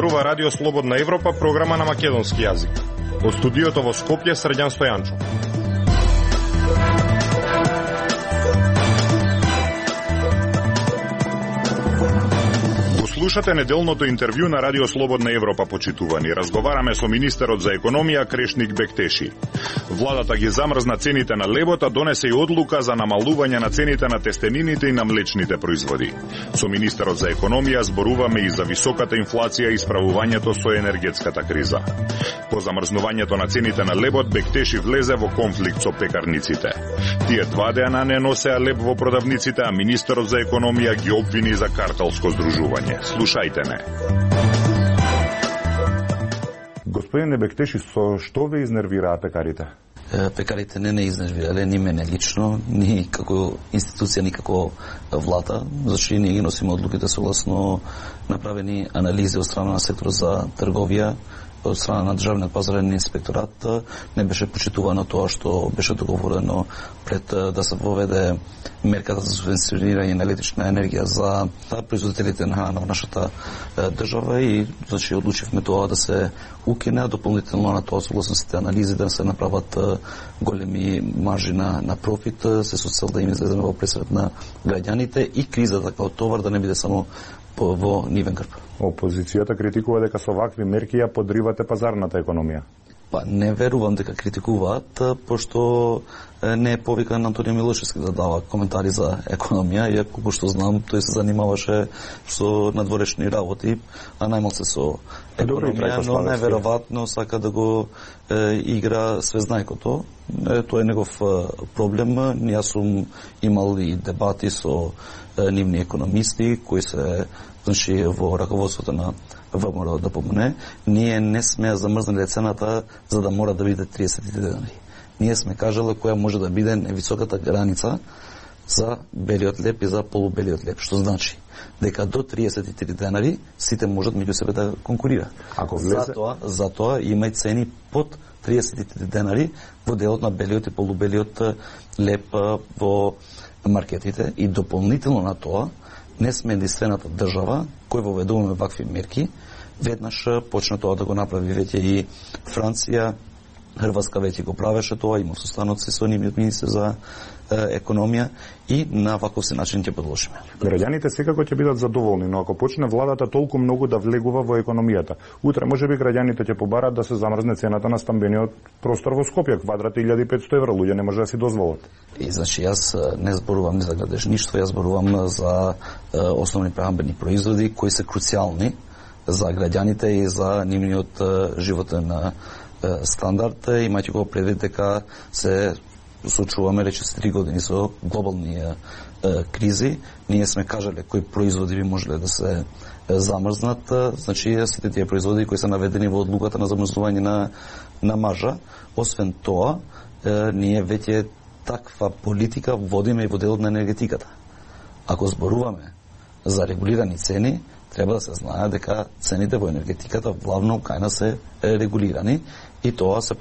Зборува Радио Слободна Европа, програма на македонски јазик. Од студиото во Скопје, Срđan Стојанчов. Слушате неделното интервју на Радио Слободна Европа, почитувани. Разговараме со министерот за економија Крешник Бектеши. Владата ги замрзна цените на лебот, а донесе и одлука за намалување на цените на тестенините и на млечните производи. Со министерот за економија зборуваме и за високата инфлација и справувањето со енергетската криза. По замрзнувањето на цените на лебот, Бектеши влезе во конфликт со пекарниците. Тие 2 дена не носеа леб во продавниците, а министерот за економија ги обвини за картелско здружување. Слушајте не. Господине Бектеши, со што ве изнервираа пекарите? Пекарите не изнервирале ни мене лично, ни како институција, ни како влада, зашто ние ги носиме одлуките согласно направени анализи од страна на секторот за трговија, од страна на Државниот пазарен инспекторат. Не беше почитувано тоа што беше договорено пред да се воведе мерката за субвенционирање на електрична енергија за производителите на храна во нашата држава и значи одлучивме тоа да се укине, дополнително на тоа согласно сите анализи да се направат големи маржи на профит, се со цел да им излеземе во пресред на граѓаните и кризата како товар да не биде само во нивен грб. Опозицијата критикува дека со вакви мерки ја подривате пазарната економија. Па не верувам дека критикуваат, пошто не е повикан Антонио Милошевски да дава коментари за економија, иако колку што знам, тој се занимаваше со надворешни работи, а најмалку со економија, но неверојатно сака да го игра свезнајкото. Тоа е негов проблем. Јас сум имал и дебати со нивни економисти кои се значи во раководството на ВМРО да помне. Ние не сме замрзнали цената за да мора да биде 30 денари. Ние сме кажале која може да биде невисоката граница за белиот леб и за полубелиот леб, што значи дека до 33 денари сите можат меѓу себе да конкурираат. Ако влезе... Затоа има и цени под 33 денари во делот на белиот и полубелиот леб во маркетите и дополнително на тоа не сме единствената држава кој воведуваме вакви мерки. Веднаш почна тоа да го направи веќе и Франција, Хрватска веќе го правеше тоа, има состаноци со нивниот министер за економија и на ваков се начин ќе продолжиме. Граѓаните секако ќе бидат задоволни, но ако почне владата толку многу да влегува во економијата, утре можеби граѓаните ќе побараат да се замрзне цената на стамбениот простор во Скопје, квадрат 1500 евра, луѓе не може да си дозволат. И значи јас не зборувам ни за градежништво, јас зборувам за основни прехранбени производи кои се круцијални за граѓаните и за нивниот животен стандард, имајќи го предвид дека се соочуваме речиси 3 години со глобални кризи. Ние сме кажале кои производи би можеле да се замрзнат, значи сите тие производи кои се наведени во одлуката на замрзнување на маржа. Освен тоа, ние веќе таква политика водиме и во делот на енергетиката. Ако зборуваме за регулирани цени, треба да се знае дека цените во енергетиката главно кај нас се регулирани и тоа се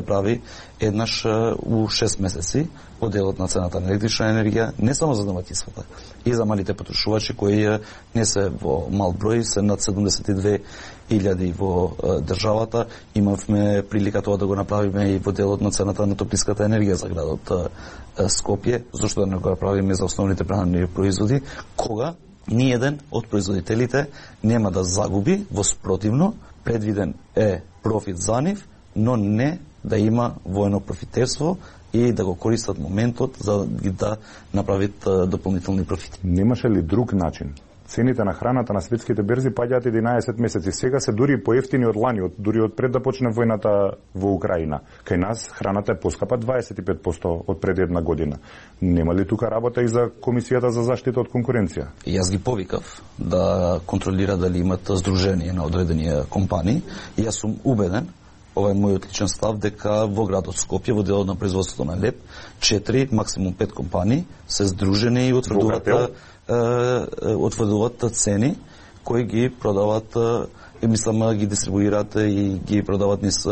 прави еднаш у 6 месеци во делот на цената на електрична енергија, не само за домаќинствата, и за малите потрошувачи кои не се во мал број, се над 72.000 во државата. Имавме прилика тоа да го направиме и во делот на цената на топлинската енергија за градот Скопје, зашто да не го направиме за основните прехранбени производи, кога ниеден од производителите нема да загуби, во спротивно, предвиден е профит за нив, но не да има воено профитерство и да го користат моментот за да направат дополнителни профити. Немаше ли друг начин? Цените на храната на светските берзи паѓаат 11 месеци. Сега се дури поевтини од лани, дури од пред да почне војната во Украина. Кај нас храната е поскапа 25% од пред една година. Нема ли тука работа и за Комисијата за заштита од конкуренција? Јас ги повикав да контролира дали имат здружение на одредени компании. Јас сум убеден, ова е мојот личен став, дека во градот Скопје, во делот на производството на леб, 4, максимум 5 компании се здружени и утврдуваат цени кои ги продават, мислам ги дистрибуираат и ги продават низ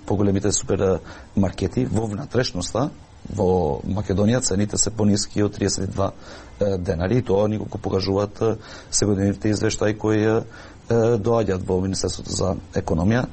поголемите супермаркети. Во внатрешноста, во Македонија, цените се пониски од 32 денари и тоа николку покажуваат сегодневните извештаи кои доаѓаат во Министерството за економија.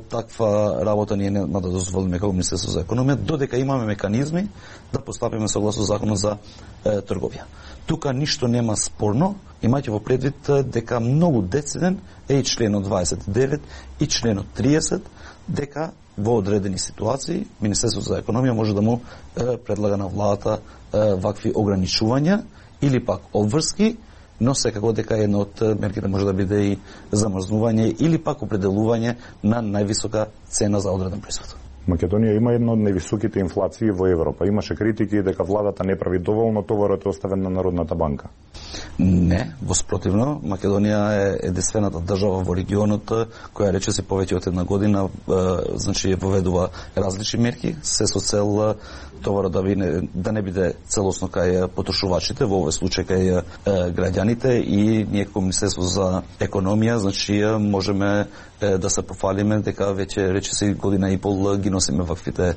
Таква работа ние нема да дозволиме како Министерство за економија, додека имаме механизми да постапиме согласно законот за трговија. Тука ништо нема спорно, имајќи во предвид дека многу дециден е и членот 29 и членот 30, дека во одредени ситуации Министерството за економија може да му предлага на владата вакви ограничувања или пак обврски, но секако дека една од мерките може да биде и замрзнување или пак определување на највисока цена за одреден производ. Македонија има една од највисоките инфлации во Европа. Имаше критики дека владата не прави доволно, товарот е оставен на Народната банка. Не, воспротивно, Македонија е единствената држава во регионот која речиси повеќе од една година значи воведува различни мерки, се со цел товарот да не биде целосно кај потрошувачите, во овој случај кај граѓаните, и ние како Министерство за економија значи можеме да се пофалиме дека веќе речиси година и пол ги носиме ваквите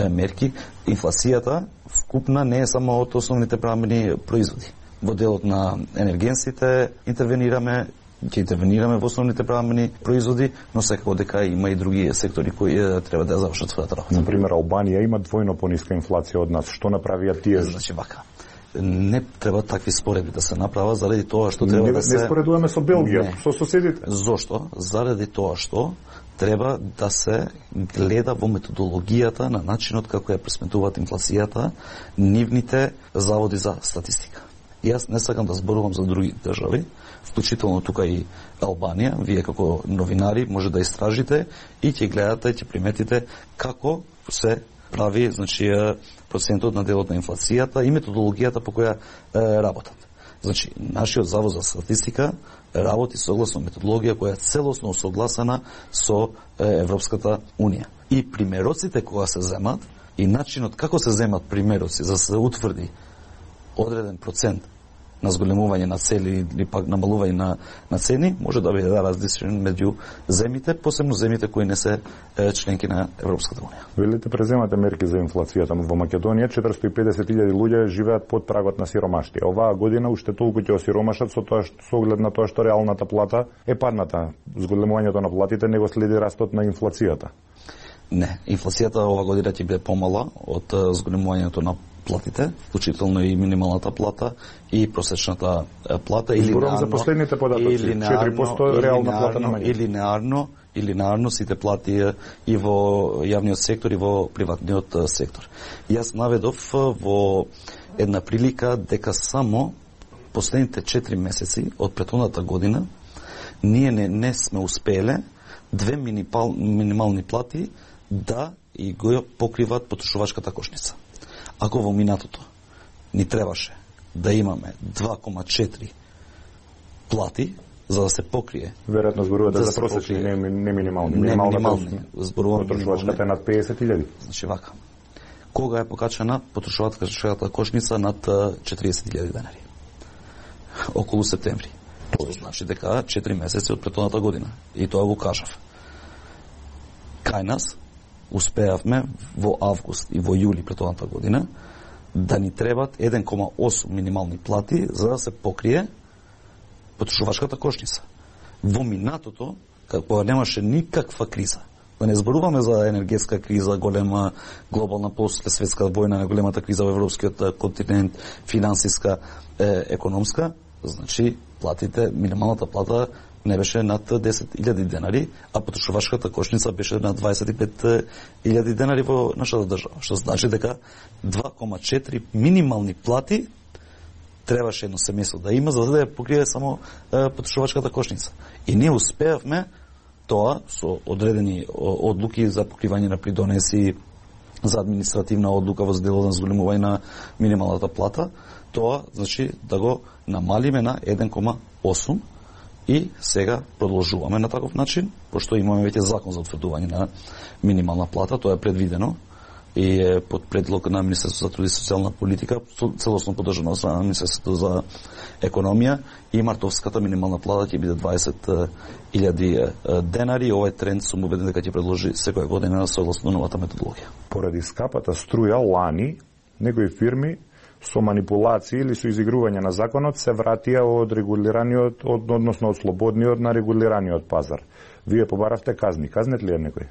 мерки. Инфлацијата вкупна не е само од основните премнени производи. Во делот на енергенсите ќе интервенираме во основните премнени производи, но секако дека има и други сектори кои треба да завршат својата работа. Например, Албанија има двојно пониска инфлација од нас. Што направија тие? Значи вака. Не треба такви споредби да се направат заради тоа што треба да се... Не споредуваме со Белгија, со соседите. Зошто? Заради тоа што треба да се гледа во методологијата на начинот како ја пресметуваат инфлацијата нивните заводи за статистика. И јас не сакам да зборувам за други држави, вклучително тука и Албанија. Вие како новинари може да истражите и ќе гледате, ќе приметите како се прави значи процентот на делот на инфлацијата и методологијата по која работат. Значи, нашиот завод за статистика работи согласно методологија која е целосно усогласена со Европската Унија. И примероците кога се земат и начинот како се земат примероци за да се утврди одреден процент на зголемување на цели или пак намалување на цени може да биде различен меѓу земите, посебно земите кои не се членки на Европската Унија. Велите преземате мерки за инфлацијата. Во Македонија 450.000 луѓе живеат под прагот на сиромаштија. Оваа година уште толку ќе осиромашат со оглед на тоа што реалната плата е падната. Зголемувањето на платите не го следи растот на инфлацијата. Не, инфлацијата ова година ќе биде помала од зголемувањето на платите, вклучително и минималната плата и просечната плата, или зборувам за последните податоци, 4% реална плата намалена. Или наарно сите плати и во јавниот сектор и во приватниот сектор. Јас наведов во една прилика дека само последните 4 месеци од претходната година ние не сме успеле две минимални плати да и го покриват потрошувачката кошница. Ако во минатото ни требаше да имаме 2,4 плати за да се покрие. Веројатно зборувате за просечни, не минимални. Минимални. Зборувам потрошувачката е над 50.000. Значи вака. Кога е покачена потрошувачката кошница над 40.000 денари? Околу септември. Тоа значи дека 4 месеци од претходната година. И тоа го кажав. Кај нас успеавме во август и во јули претходната година да ни требат 1,8 минимални плати за да се покрие потрошувачката кошница. Во минатото, кога немаше никаква криза, да не зборуваме за енергетска криза, голема глобална после светска војна, на големата криза во европскиот континент, финансиска, економска, значи платите, минималната плата не беше над 10.000 денари, а потрошувачката кошница беше над 25.000 денари во нашата држава. Што значи дека 2,4 минимални плати требаше едно семејство да има за да ја покрие само потрошувачката кошница. И ние успеавме тоа со одредени одлуки за покривање на придонеси, за административна одлука во делот на зголемување на минималната плата, тоа значи да го намалиме на 1,8 и сега продолжуваме на таков начин, пошто имаме веќе закон за утврдување на минимална плата, тоа е предвидено и е под предлог на Министерството за труд и социјална политика, целосно поддржано од Министерството за економија, и мартовската минимална плата ќе биде 20.000 денари. Овој тренд сум убеден дека ќе предложи секоја година согласно новата методологија. Поради скапата струја лани, некои фирми со манипулации или со изигрување на законот се вратија од регулираниот, односно од слободниот на регулираниот пазар. Вие побаравте казни. Казнет ли е некој?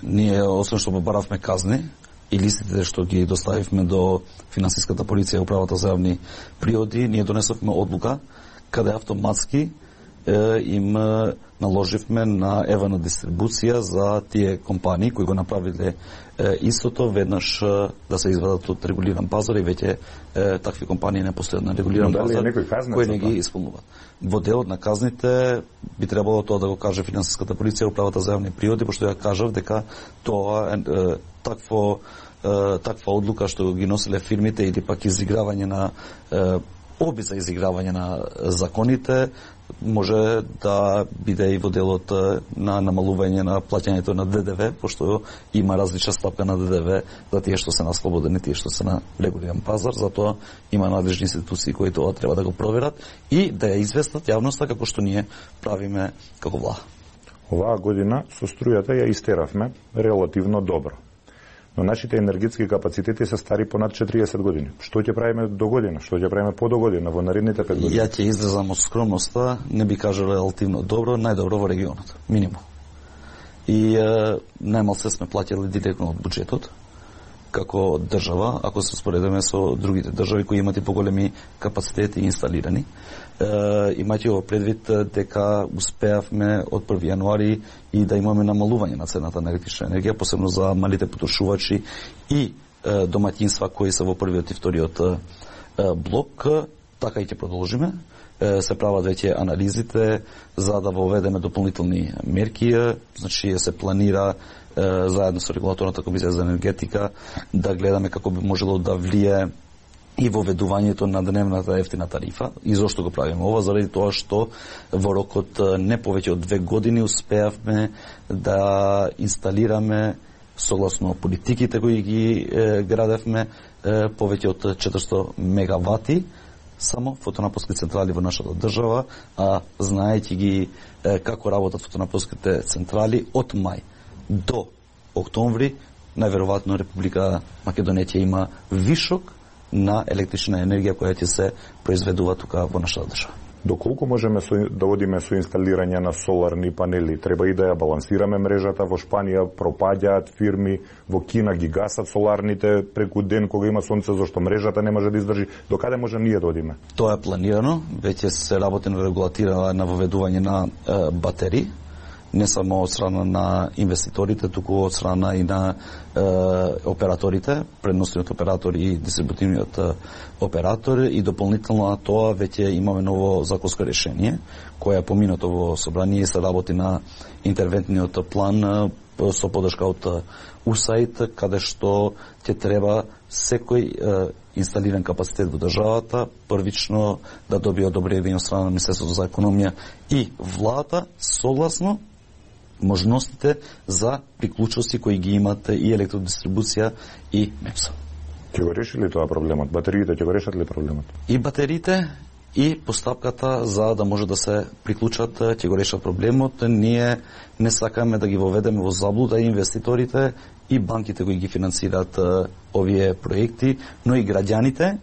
Ние, освен што побаравме казни, и листите што ги доставивме до финансиската полиција и управата за јавни приоди, ние донесовме одлука каде автоматски им наложивме на евана дистрибуција за тие компании кои го направиле истото, веднаш да се извадат од регулиран пазар и веќе такви компании не постојат на регулиран пазар кои не ги исполнуваат. Во делот на казните би требало тоа да го каже финансиската полиција и управата за јавни приоди, пошто ја кажав дека тоа таква одлука што ги носеле фирмите или пак изигравање на оби за изигравање на законите може да биде и во делот на намалување на плаќањето на ДДВ, пошто има различна стапка на ДДВ за тие што се на слободен и тие што се на регулиран пазар, затоа има надлежни институции кои тоа треба да го проверат и да ја известат јавноста како што ние правиме како влада. Оваа година со струјата ја истеравме релативно добро. Но нашите енергетски капацитети се стари понад 40 години. Што ќе правиме до година? Што ќе правиме по до година во наредните 5 години? Ја ќе изразам од скромноста, не би кажал релативно добро, најдобро во регионот, минимум. И најмал се сме платили директно од буџетот, како држава, ако се споредиме со другите држави кои имат и поголеми капацитети инсталирани. Имајќи во предвид дека успеавме од 1 јануари и да имаме намалување на цената на електрична енергија, посебно за малите потрошувачи и домаќинства кои се во првиот и вториот блок, така и ќе продолжиме. Се прават веќе анализите за да воведеме дополнителни мерки, значи се планира заедно со регулаторната комисија за енергетика да гледаме како би можело да влие и воведувањето на дневната ефтина тарифа. И зошто го правиме ова? Заради тоа што во рокот не повеќе од 2 години успеавме да инсталираме согласно политиките кои ги градевме повеќе од 400 мегавати само фотонапонски централи во нашата држава, а знаејќи ги како работат фотонапонските централи од мај до октомври, најверојатно Република Македонија ќе има вишок на електрична енергија која ќе се произведува тука во нашата држава. Доколку можеме да одиме со инсталирање на соларни панели? Треба и да ја балансираме мрежата. Во Шпанија пропаѓаат фирми, во Кина ги гасат соларните преку ден кога има сонце, зашто мрежата не може да издржи. До каде може ние да одиме? Тоа е планирано, веќе се работи на регулатира на воведување на батерии, не само од страна на инвеститорите, туку од страна и на операторите, предносниот оператор и дистрибутивниот оператор, и дополнително на тоа веќе имаме ново законско решение кое е поминато во собрание и се работи на интервентниот план со подршка од УСАИД, каде што ќе треба секој инсталиран капацитет во државата првично да добие одобрение од страна на Министерството за економија и владата согласно можностите за приклучоци кои ги имат и електродистрибуција и МЕПС. Ќе го реши ли тоа проблемот? Батериите ќе го решат ли проблемот? И батериите и постапката за да може да се приклучат ќе го решат проблемот. Ние не сакаме да ги воведеме во заблуда инвеститорите и банките кои ги финансираат овие проекти, но и граѓаните,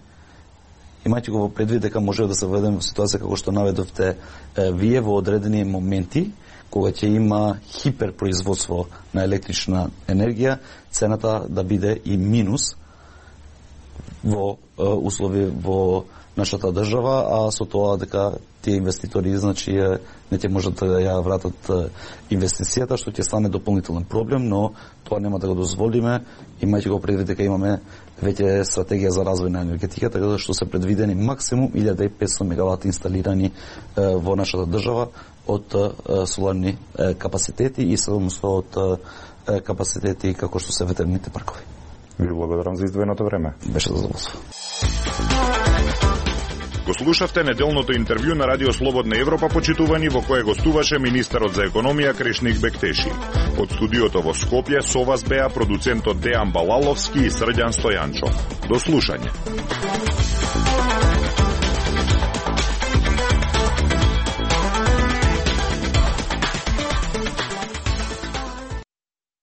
имајќи го во предвид дека може да се воведеме во ситуација како што наведовте вие во одредени моменти, кога ќе има хиперпроизводство на електрична енергија, цената да биде и минус во услови во нашата држава, а со тоа дека тие инвеститори значи не ќе можат да ја вратат инвестицијата, што ќе стане дополнителен проблем, но тоа нема да го дозволиме, имајќи го предвид дека имаме веќе стратегија за развој на енергетиката, така што се предвидени максимум 1500 мегавати инсталирани во нашата држава од соларни капацитети и 700 од капацитети како што се ветерните паркови. Ви благодарам за издвоеното време. Беше задоволство. Го слушавте неделното интервју на Радио Слободна Европа, почитувани, во кое гостуваше министерот за економија Крешник Бектеши. Од студиото во Скопје со вас беа продуцентот Дејан Балаловски и Срđan Стојанчо. До слушање.